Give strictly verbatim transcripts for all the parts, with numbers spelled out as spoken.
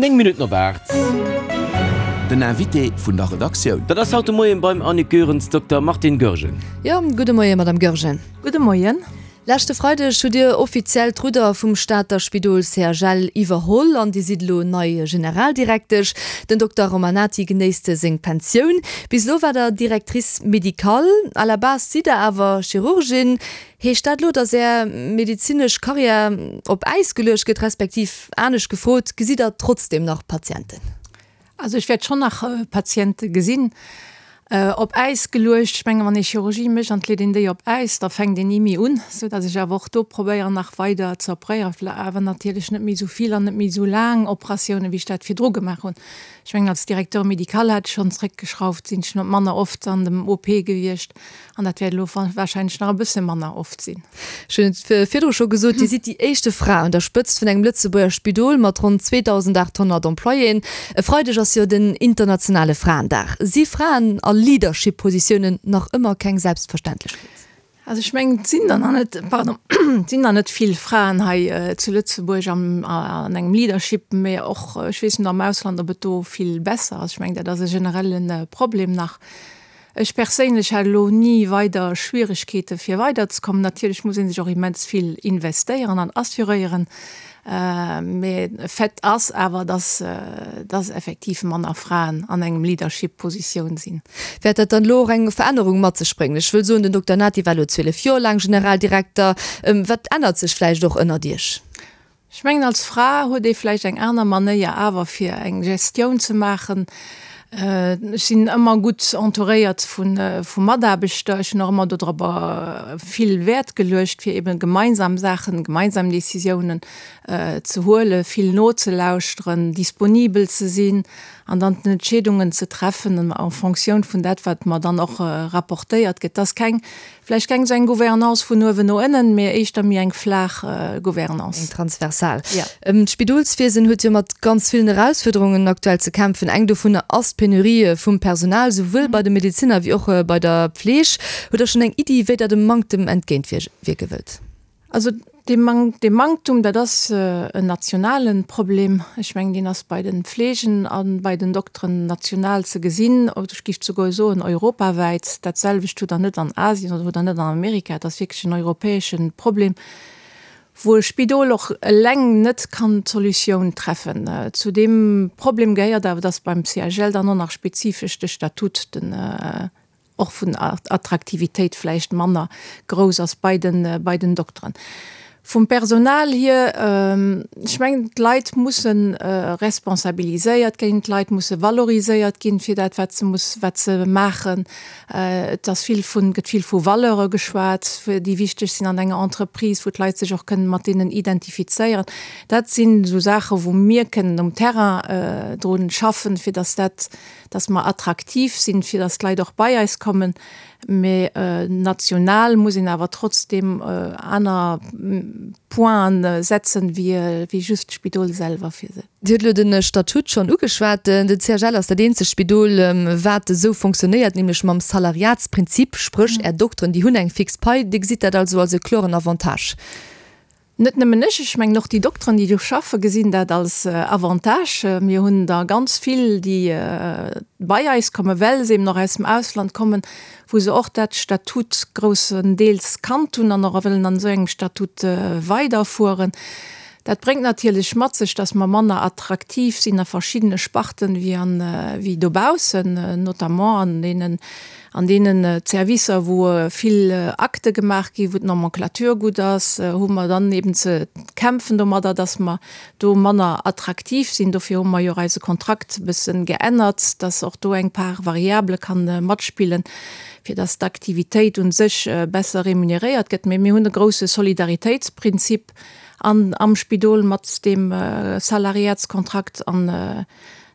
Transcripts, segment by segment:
Néng Minutten op aacht. Den Invité vun der Redaktioun. Dat ass haut de Moien beim Annick Goerens Dokter Martine Goergen. Jo, gudde Moien, Madame Goergen. Gudde Moien. Leschte Freideg hutt Dir offiziell d'Rudder vum Stater Spidol C H L iwwerholl an Dir sidd elo nei Generaldirektesch. Den Dokter Romanati genéisst seng Pensioun. Bis elo waart Der Directrice médicale. À la base sidd Der awer Chirurgin. Heescht dat elo, datt Är medezinesch Karriär op Äis geluecht gëtt, respektiv anescht gefrot, gesitt Der trotzdem nach Patienten? Also ech wäert schonn nach Patiente gesinn. Op Äis geluecht, ech mengen, wann ee Chirurgie mécht an et leet een déi op Äis, da fänkt een ni méi un, sou datt ech awer och do probéieren nach weider ze operéieren, awer natierlech net méi esou vill an net méi esou laang Operatiounen, wéi ech dat virdru gemaach hunn. Ech mengen, als Directeur médical hat ech schonn zréckgeschrauft, sinn ech manner oft an dem O P gewiescht an dat wäert elo warscheinlech nach e bësse manner oft sinn. Ech hunn et virdru scho gesot, Dir sidd déi éischte Fra un der Spëtzt vun engem Lëtzebuerger Spidol mat ronn zweedausendaathonnert Employéen. E Freideg ass jo den internationale Fraendag. Si Fraen a Leadership-Positiounen nach ëmmer keng Selbstverständlechkeet? Also ech mengen, et sinn der nach net, pardon, et sinn der net vill Fraen hei zu Lëtzebuerg am, an engem Leadership, mä och, ech weess net am Ausland, ob et do vill besser ass. Ech mengen, dat ass e generelle Problem nach. Ech perséinlech hat elo ni weider Schwieregkeete fir weiderzekommen. Natierlech muss ee sech och immens vill investéieren an assuréieren, mä Fait ass awer, dass, dass effektiv manner Fraen an engem Leadership-Positioun sinn. Wäert dat dann elo och eng Verännerung mat sech bréngen? Ech wëll soen, den Dokter Nati war elo zwielef Joer laang Generaldirekter. Wat ännert sech vläicht och ënnert Iech? Ech mengen, als Fra huet ee vläicht eng aner Manéier awer fir eng Gestioun ze maachen. Ech sinn ëmmer gutt entouréiert vu vu Mataarbechter. Ech hunn och ëmmer dodrobber vill Wäert geluecht, fir eben gemeinsam Saachen, gemeinsam Decisiounen ze huelen, vill nozelauschteren, disponibel ze sinn an dann d'Entscheedungen ze treffen en Fonctioun vun dat, wat mer dann och rapportéiert gëtt. Et ass keng, vläicht keng esou eng Gouvernance vun uewen no ënnen, mee éischter méi eng flaach Gouvernance. Eng transversal. D'Spidolswiesen huet jo mat ganz villen Erausfuerderungen aktuell ze kämpfen. Eng dovunner ass d'Penurie vum Personal, souwuel bei de Medezinner wéi och bei der Pfleeg. Hutt Der schonn eng Iddi, wéi Der dem Manktem entgéintwierke wëllt? Also dee Mank, dee Manktum, dat ass en nationale Problem. Ech mengen, deen ass bei de Fleegen a bei den Dokteren national ze gesinn, oder ech géif souguer soen europawäit. Dat selwecht hutt Der net an Asien oder hutt Der net an Amerika. Et ass wierklech en europäesche Problem, wou e Spidol och eleng net kann d'Solutioun treffen. Zu deem Problem gehéiert awer, dass beim C H L dann och nach spezifesch de Statut, den, och vun Attraktivitéit vläicht manner grouss ass bei den, bei den Dokteren. Vum Personal hier, ech mengen, d'Leit musse responsabiliséiert ginn, d'Leit musse valoriséiert ginn fir dat, wat se muss, wat se maachen. Et ass vill vun, gëtt vill vu Valeure geschwat, déi wichteg sinn an enger Entreprise, wou d'Leit sech och kënnen mat deenen identifizéieren. Dat sinn esou Saache wou mir kënnen um Terrain drun schaffen, fir datt dat, datt mer attraktiv sinn, fir datt d'Leit och bei eis kommen. Mee national muss een awer trotzdem aner Pointen setzen, wéi just d'Spidol selwer fir se. Dir hutt elo de Statut schonn ugeschwat. De C H L ass dat eenzegt Spidol, wat esou fonctionnéiert, nämlech mam Salariatsprinzip, spréch Är Dokteren, déi hunn eng fix Pai. Dir gesitt dat also als e kloren Avantage? Net nëmmen ech, ech mengen och déi Dokteren, déi do schaffen, gesinn dat als Avantage. Mir hunn der ganz vill, déi bei eis kommen, well se eben och aus dem Ausland kommen, wou se och dat Statut groussendeels kannt hunn an och wëllen an esou engem Statut weiderfueren. Dat bréngt natierlech mat sech, dass mer manner attraktiv sinn a verschiddene Sparten wéi an, wéi dobaussen, notamment an deenen, an deenen Servicer, wou vill Akte gemaach ginn, wou d'Nomenclature gutt ass, hu mer dann eben ze kämpfen domadder, dass mer do manner attraktiv sinn. Dofir hu mer jo och eise Kontrakt e bëssen geännert, dass och do eng Part variable kann matspillen, fir dass d'Aktivitéit u sech besser remuneréiert gëtt. Mee mir hunn e grouse Solidaritéitsprinzip an am Spidol mat deem Salariatskontrakt an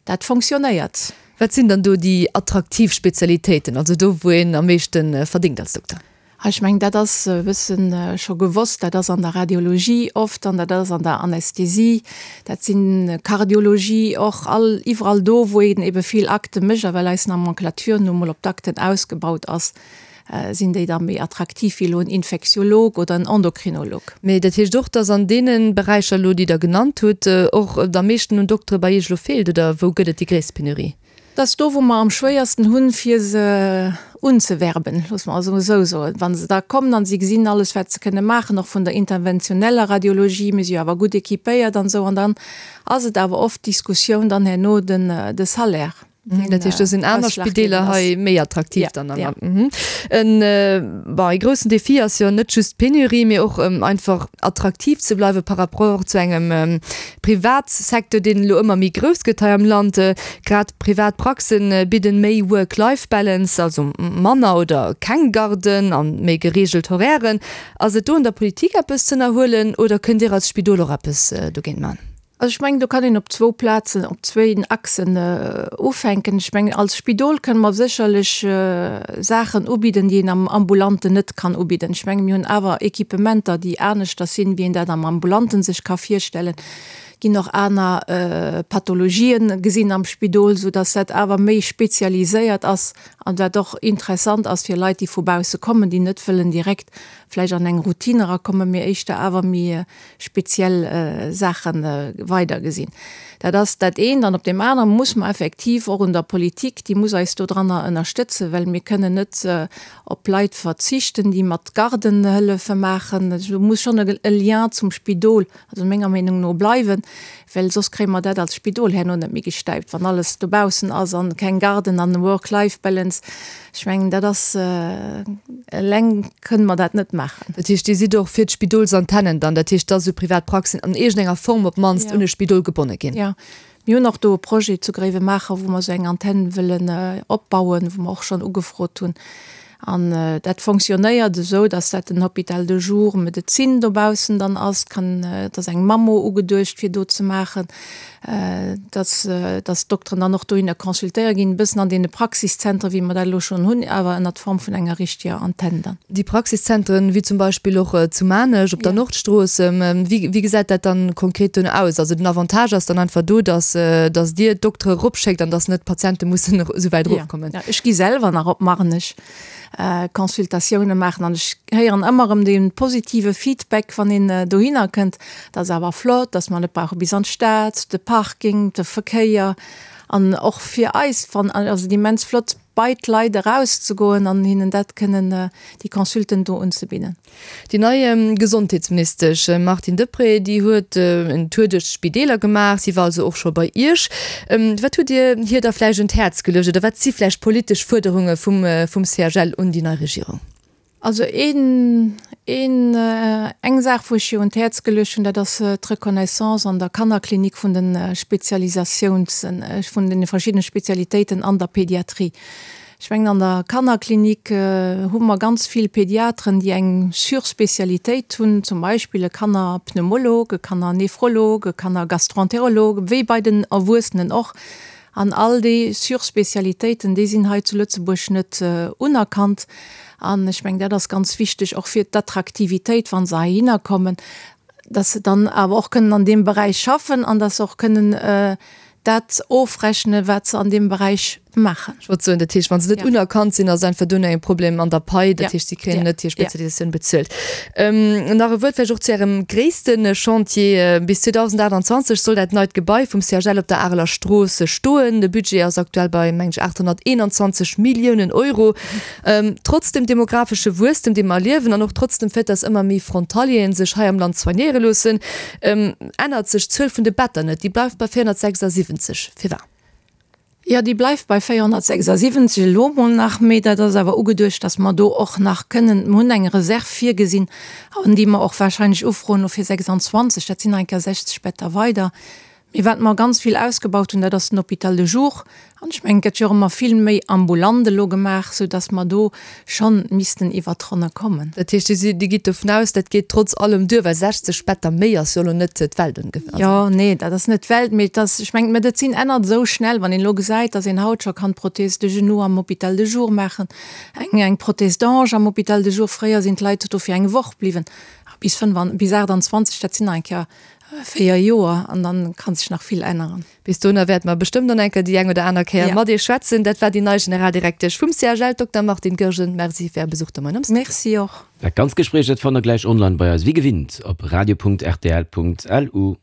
dat fonctionnéiert. Wat sinn dann do déi attraktiv Spezialitéiten, also do wou een am meeschte verdéngt als Dokter? Ech mengen, dat ass e bëssen scho gewosst, dat ass an der Radiologie oft an dat ass an der Anästhesie, dat sinn Kardiologie och, all iwwerall do wou een ebe vill Akte mécht a well eis Nomenclature nu mol op d'Akten ausgebaut ass, sinn déi da méi attraktiv wéi elo en Infektiolog oder en Endokrinolog. Mee dat heescht och, dass an deene Beräicher elo, déi Der genannt hutt, och et am meeschten un Doktere bei Iech elo feelt, oder wou gëtt et déi gréisst Penurie? Dat ass do, wou mer am schwéiersten hunn, fir se unzewerben, loosse mer also esou soen. Wa se da kommen an si gesinn alles, wat se kënne maachen, och vun der interventioneller Radiologie, mir si jo awer gutt équipéiert an esou, an dann ass et awer oft d'Diskussioun dann herno den de Salaire. Dat heescht, do sinn aner Spideeler hei méi attraktiv dann am Land. En bon, e groussen Defi ass jo net just d'Penurie, mee och einfach attraktiv ze bleiwe par rapport zu engem Privatsecteur, deen elo ëmmer méi grouss gëtt hei am Land. Grad privat Praxen bidden méi Work-Life-Balance, also manner oder keng Garden an méi gereegelt Horairen. Ass et do un der Politik eppes z'ënnerhuelen oder kënnt Dir als Spidol och eppes dogéint man? Also ech mengen, do kann een op zwou Plazen, op zwéin Achsen ufänken. Ech mengen, als Spidol kënne mer sécherlech Saachen ubidden, déi een am Ambulanten net kann ubidden. Ech mengen, mir hunn awer Equipementer, déi aneschters sinn, wéi een dat am Ambulanten sech ka virstellen. Ginn och aner Pathologien gesinn am Spidol, soudass dat awer méi spezialiséiert ass an wat och interessant ass fir Leit, déi vu bausse kommen, déi net wëllen direkt vläicht an eng Routine erakommen, mee éischter awer méi speziell Saache weidergesinn. Dat ass dat eent. An op deem anere muss mer effektiv och un der Politik, déi muss eis dodranner ënnerstëtzen, well mir kënnen net op Leit verzichten, déi mat Gardenhëllefe maachen. Do muss schonn e Lien zum Spidol, also menger Meenung no, bleiwen, well soss kréie mer dat als Spidol herno net méi gestäipt, wann alles dobaussen ass an keng Garden an Work-Life-Balance. Ech mengen, dat ass, eleng kënne mer dat net maachen. Dat heescht, Dir sidd och fir d'Spidolsantennen dann, dat heescht, dass esou privat Praxen an iergendenger Form op d'mannst un e Spidol gebonne ginn? Jo. Mir hunn och do e Projet zu Gréiwemaacher, wou mer esou eng Antenn wëllen opbauen, wou mer och schonn ugefrot hunn. An dat fonctionnéiert esou, dass dat den Hôpital de jour Medezin dobaussen dann ass. Et kann, et ass eng Mammo ugeduecht fir do ze maachen, dass, dass d'Dokteren dann och dohinner consultéiert ginn, e bëssen an deene Praxiszentren, wéi mer dat elo schonn hunn, awer ënnert Form vun enger richteger Antenn dann. Déi Praxiszentren, wéi zum Beispill och zu Maarnech op der Nordstrooss, wéi, wéi gesäit dat dann konkret duerno aus? Also den Avantage ass dann einfach do, dass, dass Dir d'Doktere eropschéckt an dass net d'Patiente mussen esou wäit erofkommen. Jo, ech gi selwer nach op Marnech Consultatioune maachen an ech héieren ëmmer erëm dee positive Feedback, wann een dohinner kënnt, dat ass awer flott, dass mer net brauche bis an d'Stad, de Parking, de Verkéier an och fir eis fannen ass et immens flott, bei d'Leit erauszegoen an hinnen dat kënnen, déi Consulten do unzebidden. Déi nei Gesondheetsministesch Martine Deprez, déi huet en Tour duerch d'Spideeler gemaach. Si war also och scho bei Iech. Wat hutt Dir hir da vläicht un d'Häerz geluecht oder wat si vläicht politesch Fuerderunge vum vum C H L un déi nei Regierung? Also een, een, eng Saach, wou ech hir un d'Häerz geluecht hunn, dat ass d'Reconnaissance an der Kannerklinik vun de Spezialisatiouns, vun deene verschiddene Spezialitéiten an der Pédiatrie. Ech mengen, an der Kannerklinik hu mer ganz vill Pédiatren, déi eng Surspécialitéit hunn, zum Beispill e Kannerpneumolog, e Kannernephrolog, e Kannergastroenterolog, wéi bei den Erwuessenen och. An all déi Surspécialitéiten, déi sinn hei zu Lëtzebuerg net unerkannt. An ech mengen, dat ass ganz wichteg och fir d'Attraktivitéit, wa se heihinner kommen, dass se dann awer och kënnen an deem Beräich schaffen an dass se och kënnen dat ofrechnen, wat se an deem Beräich maachen. Ech wollt soen, dat heescht, wa se net unerkannt sinn, ass einfach duerno e Problem an der Pai, dat heescht, si kréien net hir Spezialisatioun bezuelt. Nach e Wuert vläicht och zu Ärem gréisste Chantier. Bis zweedausendaachtanzwanzeg soll dat neit Gebai vum C H L op der Areler Strooss stoen. De Budget ass aktuell bei, mengen ech, aathonnerteenanzwanzeg Milliounen Euro. Trotz dem demografesche Wuesstem, dee mer erliewen, an och trotz dem Fait, dass ëmmer méi Frontalieren sech hei am Land soignéiere loossen, ännert sech d'Zuel vun de Better net. Déi bleift bei véierhonnertsechsasiwwenzeg. Firwat? Jo, déi bleift bei véierhonnertsechsasiwwenzeg elo mol nach, mee dat ass awer ugeduecht, dass mer do och nach kënnen, mer hunn eng Reserv virgesinn, an déi mer och wahrscheinlech ufroen elo fir sechsandzwanzeg, dat sinn nach eng Kéier sechzeg Better weider. Mee wat mer ganz vill ausgebaut hunn, dat ass den Hôpital de jour. An ech mengen, et gëtt jo och ëmmer vill méi ambulant elo gemaach, soudass mer do schonn missten iwwert d'Ronne kommen. Dat heescht, Dir sidd, Dir gitt dovun aus, dat geet trotz allem duer, well sechzeg Better méi ass jo elo net d'Welt ongeféier. Jo, nee, dat ass net d'Welt, mee et ass, ech mengen, d'Medezin ännert esou schnell, wann een elo gesäit, dass een haut scho kann d'Prothèse de genou am Hôpital de jour maachen, eng, eng Prothèse d'hanche am Hôpital de jour. Fréier sinn d'Leit do fir eng Woch bliwwen, bis fënnf an, bis aachtanzwanzeg, dat sinn nach eng Kéier véier Joer an dann kann sech nach vill änneren. Bis dohinner wäerte mer bestëmmt nach eng Kéier déi eng oder aner Kéier mat Iech schwätzen. Dat war déi nei Generaldirektesch vum CHL, Dokter Martine Goergen. Merci fir Är Besuch de Moien am Studio. Merci och. Dat ganzt Gespréich, dat fannt der gläich online bei eis, wéi gewinnt op radio.rtl.lu.